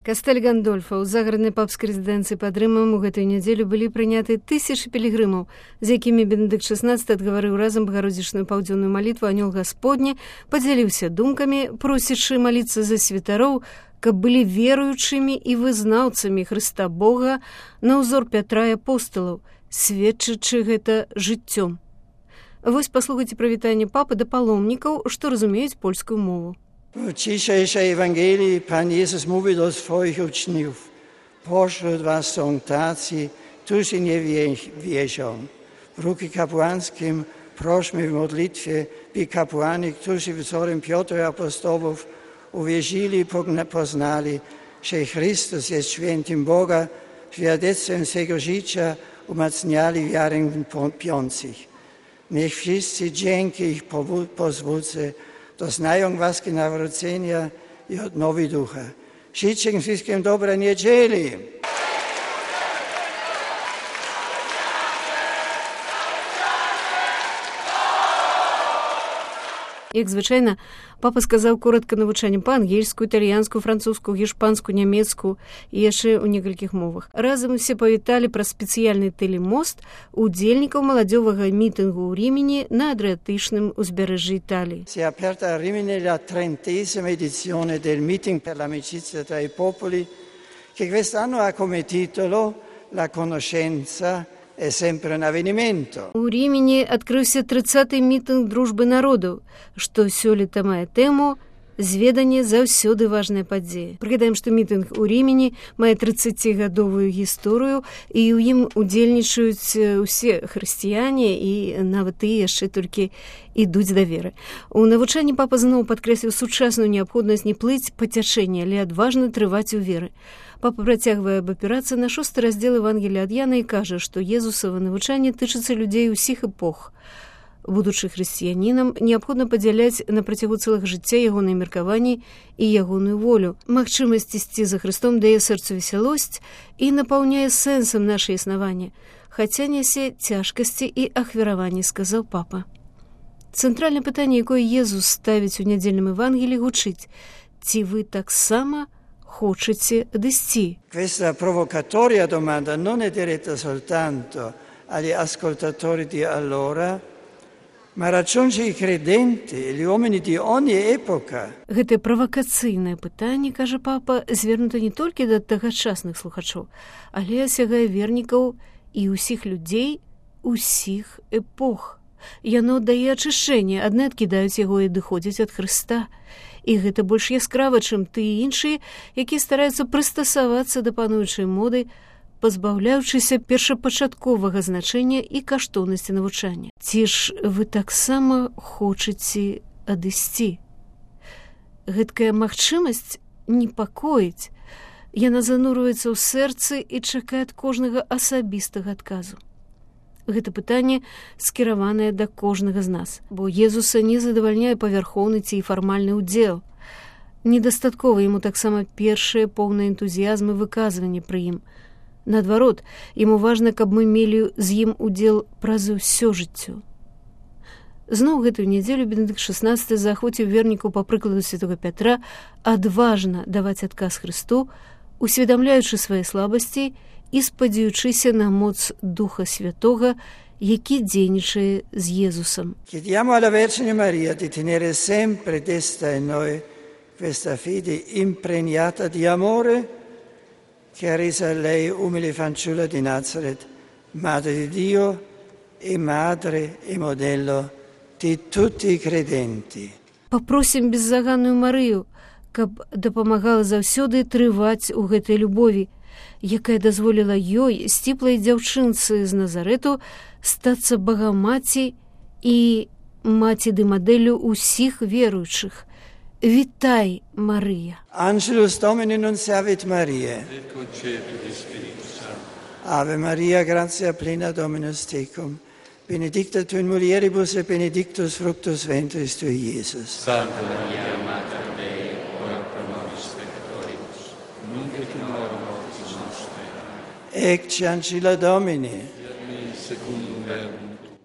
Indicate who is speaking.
Speaker 1: Кастэль Гандольфа ў загараднай папскай рэзідэнцыі пад Рымам у гэтую нядзелю былі прыняты тысячы пілігрымаў, з якімі Бенедыкт XVI адгаварыў разам багародзічную паўдзённую малітву «Анёл Гасподні», падзяліўся думкамі, просячы маліцца за святароў, каб былі веруючымі і вызнаўцамі Хрыста Бога на ўзор Пятра і апосталаў, сведчачы гэта жыццём. Вось паслухайце прывітанне папы да паломнікаў, што разумеюць польскую мову.
Speaker 2: W dzisiejszej Ewangelii Pan Jezus mówi do swoich uczniów: pośród was są tacy, którzy nie wierzą. W ruchu kapłańskim prośmy w modlitwie, by kapłani, którzy wzorem Piotra i apostołów uwierzyli i poznali, że Chrystus jest świętym Boga, świadectwem swego życia umacniali wiarę wątpiących. Niech wszyscy dzięki ich pozwólce doznają łaski nawrócenia i odnowy ducha. Życzę wszystkim dobrej niedzieli.
Speaker 1: Як звычайна, папа сказаў коратка навучанне па-ангельску, італьянскую, французскую, гішпанскую, нямецкую і яшчэ ў некалькіх мовах. Разам усе павіталі пра спецыяльны тэлемост удзельнікаў маладзёвага мітынгу ў Рімені на Адриатычным узбярэжжы Італіі.
Speaker 2: Si è aperta a Rimini la 30ª edizione del meeting per l'amicizia tra i popoli, che quest'anno ha come titolo La conoscenza è sempre un avvenimento.
Speaker 1: У Рімені адкрыўся 30-й мітынг дружбы народаў, што сёлета мае тэму «Зведанне заўсёды важная падзея». Прыгадаем, што мітынг у Рімені мае 30-гадовую гісторыю, і ў ім удзельнічаюць усе хрысціяне і нават тыя яшчэ толькі ідуць да веры. У навучанні папа зноў падкрэсліў сучасную неабходнасць не плыць па цячэнні, але адважна трываць у веры. Папа працягвае абапірацца на 6-й раздзел Евангелія ад Яна і кажа, што Езусава навучанне тычыцца людзей усіх эпох. Будучы хрысціянінам, неабходна падзяляць на працягу цэлага жыцця ягоныя меркаванні і ягоную волю. Магчымасць ісці за Хрыстом дае сэрцу весялосць і напаўняе сэнсам наша існаванне, хаця нясе цяжкасці і ахвяраванні, сказаў папа. Цэнтральнае пытанне, якое Езус ставіць у нядзельным Евангеліі, гучыць: ці вы таксама хочаце адысці?
Speaker 2: Questa provocatoria domanda non è diretta soltanto agli ascoltatori di allora, ma raggiunge i credenti e gli uomini di ogni epoca.
Speaker 1: Гэтае правакацыйнае пытанне, кажа папа, звернута не толькі да тагачасных слухачоў, але асягае вернікаў і ўсіх людзей усіх эпох. Яно дае ачышчэнне, адны адкідаюць яго і адыходзяць ад Хрыста. І гэта больш яскрава, чым тыя іншыя, якія стараюцца прыстасавацца да пануючай моды, пазбаўляючыся першапачатковага значэння і каштоўнасці навучання. Ці ж вы таксама хочаце адысці? Гэткая магчымасць непакоіць. Яна занурваецца ў сэрцы і чакае ад кожнага асабістага адказу. Гэта пытанне скіраванае да кожнага з нас, бо Езуса не задавальняе павярхоўны ці фармальны ўдзел. Недастаткова яму таксама першае поўнае энтузіязм і выказванне пры ім. Наадварот, яму важна, каб мы мелі з ім удзел праз усё жыццё. Зноў гэтую нядзелю Бенедыкт XVI заахвоціў вернікаў па прыкладу святога Пятра адважна даваць адказ Хрысту, усведамляючы свае слабасці і спадзяючыся на моц Духа Святога, які дзейнічае з Езусам.
Speaker 2: Chiediamo alla Vergine Maria di tenere sempre desta in noi questa fede impregnata di amore che ha reso lei umile fanciulla di Nazareth, madre di Dio e madre e modello di tutti i credenti.
Speaker 1: Папросім беззаганную Марыю, каб дапамагала заўсёды трываць у гэтай любові, якая дазволіла ёй, сціплай дзяўчынцы з Назарэту, стацца багамаці і маці ды мадэллю ўсіх веруючых. Вітай, Марыя!
Speaker 2: Angelus Domini nunciavit Mariae. Ave Maria, gratia plena Dominus tecum, benedicta tu in mulieribus et benedictus fructus ventris tui, Iesus.
Speaker 3: Santa Maria, Mater Dei, ora pro nobis peccatoribus, nunc et in hora mortis nostre.
Speaker 2: Ecce ancilla Domini.
Speaker 3: Secundum verbum